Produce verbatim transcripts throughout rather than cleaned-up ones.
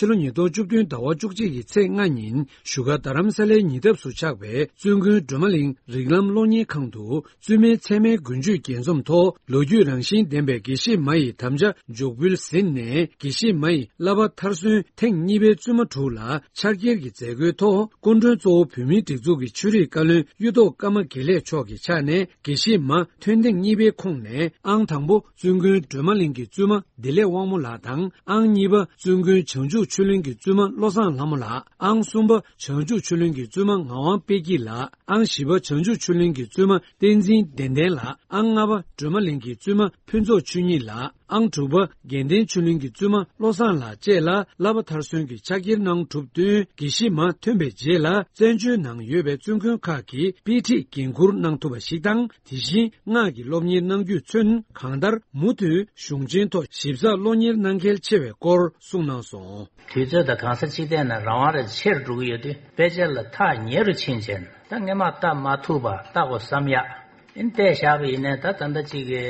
ཕྱི་ལོ་ཉིས་སྟོང་བཅུ་བདུན་ཟླ་བ་བཅུ་གཅིག་གི་ཚེས་ལྔ་ཉིན་བཞུགས་སྒར་རྡ་རམ་ས་ལའི་ཉེ་འདབས་སུ་ཆགས་པའི་བཙུན་དགོན་སྒྲོལ་མ་གླིང་རིགས་ལམ་སློབ་གཉེར་ཁང་དུ་བཙུན་མའི་ཚད་མའི་དགུན་ཆོས་རྒྱས་འཛོམས་ཐོག་ལོ་རྒྱུས་རང་བཞིན་ལྡན་པའི་དགེ་བཤེས་མ་ཡི་དམ་བཅའ་མཇུག་འབུལ་ཟིན་ནས། དགེ་བཤེས་མ་ཡི་བསླབ་པ་མཐར་སོན་ཐེངས་གཉིས་པའི་བཙུན་མ་དྲུག་ལ་ཕྱག་འཁྱེར་གྱི་མཛད་སྒོའི་ཐོག་སྐུ་མགྲོན་གཙོ་བོ་བོད་མིའི་སྒྲིག་འཛུགས་ཀྱི་ཆོས་རིག་བཀའ་བློན་གཡུ་ཐོག་ཀརྨ་དགེ་ལེགས་མཆོག་གི་ཕྱག་ནས་དགེ་བཤེས་མ་ཐོན་ཐེངས་གཉིས་པའི་ཁོངས་ནས་ཨང་དང་པོ་བཙུན་དགོན་སྒྲོལ་མ་གླིང་གི་བཙུན་མ་བདེ་ལེགས་དབང་མོ་ལགས་དང་། ཨང་གཉིས་པ་བཙུན་དགོན་བྱང་ཆུབ་ཆོས་གླིང་གི་བཙུན་མ་བློ་བཟང་ལྷ་མོ་ལགས། ཨང་གསུམ་པ་བྱང་ཆུབ་ཆོས་གླིང་གི་བཙུན་མ་ངག་དབང་དཔལ་སྐྱིད་ལགས། ཨང་བཞི་པ་བྱང་ཆུབ་ཆོས་གླིང་གི་བཙུན་མ་བསྟན་འཛིན་ལྡན་ལྡན་ལགས། ཨང་ལྔ་པ་སྒྲོལ་མ་གླིང་གི་བཙུན་མ་ཕུན་ཚོགས་ཆོས་ཉིད་ལགས། ཨང་དྲུག་པ་དགེ་ལྡན་ཆོས་གླིང་གི་བཙུན་མ་བློ་བཟང་ལགས་བཅས་ལ་བསླབ་པ་མཐར་སོན་གྱི་ཕྱག་འཁྱེར་གནང་གྲུབ་བསྟུན། དགེ་བཤེས་མ་ཐོན་པའི་རྗེས་ལ་བཙན་བྱོལ་ནང་ཡོད་པའི་བཙུན་དགོན་ཁག་གི་དཔེ་ཁྲིད་འགན་འཁུར་གནང་ཐུབ་པ་ཞིག་དང་། དེ་བཞིན་སྔགས་ཀྱི་སློབ་གཉེར་གནང་རྒྱུས་མཚོན། གང་ལྟར་མུ་མཐུད་གཞུང་ཆེན་ཐོག་ཞིབ་ཚགས་སློབ་གཉེར་གནང་གལ་ཆེ་བའི་སྐོར་གསུངས་གནང་སོང་། དུས་ཚོད་དང་གང་ས་ཅི་ཐད་ནས་རང་དབང་རེ་ཆེ་རུ་འགྲོ་གི་ཡོད་དུས། དཔེ་ཆ་ལ་ཐག་ཉེ་རུ་ཕྱིན་བྱས་ནས། ད་སྔས་མ་བལྟ་མ་ཐུབ་པ་བལྟ་དགོས་བསམ་ཡག་ཡིན་བལྟས་བཞག་པ་ཡིན་ནའི། ད་ད་ལྟ་ཅིག་གི་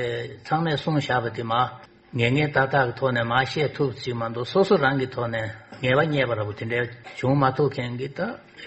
ཚང་མས་གསུངས་བཞག་པ་དེ་མ་ངེས་ངེས་ཏག་ཏག་གི་ཐོག་ནས་མ་བཤད་ཐུབ་ཅིག་མ་གཏོགས། སོ་སོ་རང་གི་ཐོག་ནས་ངེས་པ་རྙེད་པ་འདྲ་པོ་དེ་འདྲ་བྱུང་མ་ཐུབ་མཁན་གྱི། ད་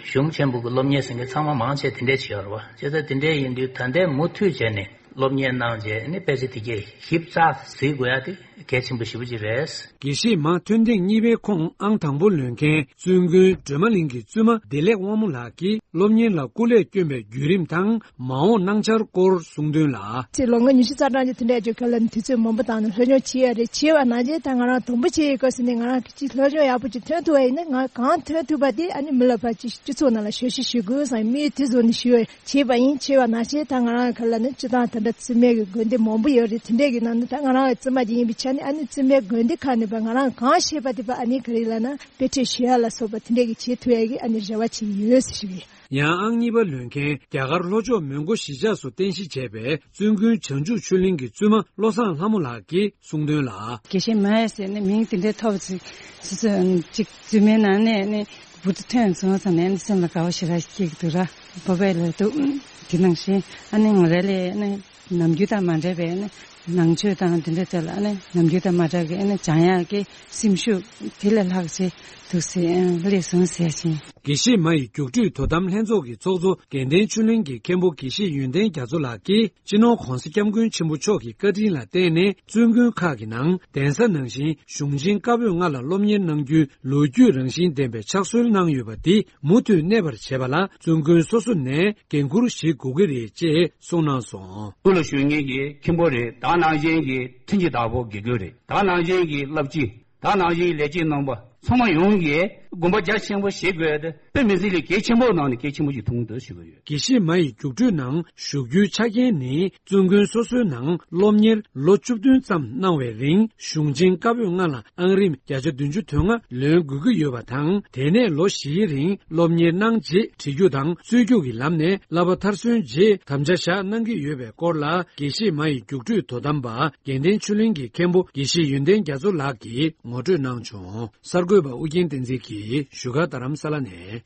གཞུང་ཆེན་པོ་གི་སློབ་གཉེར་ཟེར་མཁན་ཚང་མ་མང་ཆེ་དེ་འདྲ་ཅིག་ཡོད་རེད་པ། བྱས་ཙང་དེ་འདྲ་ཡིན་དུས་ད་ལྟའི་མུ་མཐུད་བྱས་ནས་སློབ་གཉེར་གནང་བྱས་ནས་དཔེ་ཆ་དེ་གས་ཞིབ་ཚགས་གཟིགས་དགོས་ཡ་དེ་གལ་ཆེན་པོ་ཞེ་པོ་ཅིག་རེད། དགེ་བཤེས་མ་ཐོན་ཐེངས་གཉིས་པའི་ཁོངས་ཨང་དང་པོ་ལོན་མཁན་བཙུན་དགོན་སྒྲོལ་མ་གླིང་གི་བཙུན་མ་བདེ་ལེགས་དབང་མོ་ལགས་ཀྱིས་སློབ་གཉེར་ལ་སྐུ་ལས་བསྐྱོན་པའི་བརྒྱུད་རིམ་དང་མ་འོངས་གནང་འཆར་སྐོར་གསུངས་དོན་ལ། ཅེས་ལོ་ངོ་ཉི་ཤུ་རྩ་གྲངས་ཀྱི་དེ་འདྲ་བརྗོད་མཁན་ལ་ནི་དུས་ཚོད་མང་པོ་བཏང་ནས་སློབ་སྦྱོང་བྱེད་ཡ་རེད། བྱེད་པ་ནང་བཞིན་ད་ང་རང་དང་པོ་བྱེད་ཡི་སྐབས་སུ་ནི་ང་རང་གི་ཅིག་སློབ་སྦྱོང་ཡག་པོ་ཅིག་ཐོན་ཐུབ་པ་ཡིན་ན། ང་གང་ཐོན་ཐུབ་པ་དེ་ཨ་ནི་མི་ལ་ཕར་ཅིག་སྤྱི་ཚོགས་ནང་ལ་ཞབས་ཞུ་ཞུ་དགོས་བསམ། མི་དེ་ཚོ་ནི་ཞུ་བྱེད་པ་ཡིན། བྱེད་པ་ནང་བཞིན་ད་ང་རང་ག་ལ་ནི་སྤྱི་བཏང་ད་ལྟ་བཙུན་མའི་གི་དགོན་སྡེ་མང་པོ་ཡོད་རེད། དེ་འདྲའི་གི་ནང་ནས་ད་ང་རང་བཙུན་མ་ཅིག་ཡིན་པའི་ཆ་ནས་ཨ་ནི་བཙུན་མའི་དགོན་སྡེ་ཁག་ནས་ཕར་ང་རང་གང་ཤེས་པ་དེ་ཕར་ཨ་ནི་ག་རེ་ལབ་ན་དཔེ་ཁྲིད་ཞུ་ཡ་ལ་སོགས་པ་དེ་འདྲའི་གི་བྱེད་ཐུབ་ཡ་གི་ཨ་ནི་རེ་བ་ཅིག་ཡོད་ཟེར་ཞུ་གི་ཡིན། ཡང་ཨང་གཉིས་པ་ལོན་མཁན་རྒྱ་གར་ལྷོ་ཕྱོགས་མོན་གྷོ་གཞིས་ཆགས་སུ་རྟེན་གཞི་བྱས་པའི་བཙུན་དགོན་བྱང་ཆུབ་ཆོས་གླིང་གི་བཙུན་མ་བློ་བཟང་ལྷ་མོ་ལགས་ཀྱིས་གསུངས་དོན་ལ། དགེ་བཤེས་མ་ཡ་ཟེར་ནས་མིང་དེ་འདྲའི་ཐོབ་ཚེ་ཅིག་བཙུན་མའི་ནང་ནས་ནི་འབུར་དུ་ཐོན་སོང་ཙང་ནས་ནི་སེམས་ལ་དགའ་བ་ཞེ་དྲག་སྐྱེ་གི་འདུག་ར། བོད་པའི་ལ་འདུག་དེ་ནང་བཞིན་ཨ་ནི་ང་རང་ལས་ནི་ནམ་རྒྱུན་དང་མ་འདྲ་བའི་ནི་ནང་ཆོས་དང་དེ་འདྲ་དེ་ལ་ནི་ནམ་རྒྱུན་དང་མ་འདྲ་གི་ནི་སྦྱང་ཡག་གི་སེམས་ཤུགས་དེ་ལས་ལྷག་ཅིག་འདུག་སེ་སླེབས་སོང་ཟེར་ཞིང་། དགེ་བཤེས་མ་ཡི་རྒྱུགས་སྤྲོད་དོ་དམ་ལྷན་ཚོགས་ཀྱི་ཚོགས་གཙོ་དགེ་ལྡན་ཆོས་གླིང་གི་མཁན་པོ་དགེ་བཤེས་ཡོན་ཏན་རྒྱ་མཚོ་ལགས་ཀྱིས་སྤྱི་ནོར་༧གོང་ས་༧སྐྱབས་མགོན་ཆེན་པོ་མཆོག་གི་བཀའ་དྲིན་ལ་བརྟེན་ནས་བཙུན་དགོན་ཁག་གི་ནང་གདན་ས་ནང་བཞིན་གཞུང་ཆེན་བཀའ་པོད་ལྔ་ལ་སློབ་གཉེར་གནང་རྒྱུའི་ལོ་རྒྱུས་རང་བཞིན་ལྡན་པའི་ཕྱག་སྲོལ་གནང་ཡོད་པ་འདི་མུ་མཐུད་གནས་པར་བྱེད་པ་ལ་བཙུན་དགོན་སོ་སོ་ནས་འགན་འཁུར་བཞེས་དགོས་ཀྱི་རེད་ཅེས་གསུངས་གནང་སོང་། སྐུ་ལ་བཞུགས་མཁན་གྱི་མཁན་པོ་རེད། ད་ནང་བཞིན་གྱི་མཐུན་རྐྱེན་བདག་པོ་དགེ་བསྐོས་རེད། ད་ནང་བཞིན་གྱི་བླ་སྤྱི། ད་ནང་བཞིན་ལས་བྱེད་རྣམ་པ་ཚང་མ་ཡོངས་ཀྱིས་དགོངས་པ་རྒྱ་ཆེན་པོ་བཞེས་དགོས་ཏེ། དཔེ་མི་སྲིད་ལས་གལ་ཆེན་པོ་ནང་ནས་གལ་ཆེན་པོ་ཞིག་མཐོང་གི་འདུག་ཞུ་གི་ཡོད། དགེ་བཤེས་མ་ཡི་རྒྱུགས་སྤྲོད་ནང་ཞུགས་རྒྱུའི་ཆ་རྐྱེན་ནི་བཙུན་དགོན་སོ་སོའི་ནང་སློབ་གཉེར་ལོ་བཅུ་བདུན་ཙམ་གནང་བའི་རིང་གཞུང་ཆེན་བཀའ་པོད་ལྔ་ལ་ཨང་རིམ་བརྒྱ་ཆ་བདུན་ཅུ་དོན་ལྔ་ལོན་དགོས་ཀྱི་ཡོད་པ་དང་། དེ་ནས་ལོ་བཞིའི་རིང་སློབ་གཉེར་གནང་རྗེས་བྲིས་རྒྱུགས་དང་རྩོད་རྒྱུགས་ཀྱི་ལམ་ནས་བསླབ་པ་མཐར་སོན་རྗེས་དམ་བཅའ་བཞག་གནང་གི་ཡོད་པའི་སྐོར་ལ་དགེ་བཤེས་མ་ཡི་རྒྱུགས་སྤྲོད་དོ་དམ་པ་དགེ་ལྡན་ཆོས་གླིང་གི་མཁན་པོ་དགེ་བཤེས་ཡོན་ཏན་རྒྱ་མཚོ་ལགས་ཀྱིས་ངོ་སྤྲོད་གནང་བྱུང་། གསར་འགོད་པ་ཨུ་རྒྱན་བསྟན་འཛིན་གྱིས་བཞུགས་སྒར་རྡ་རམ་ས་ལ་ནས།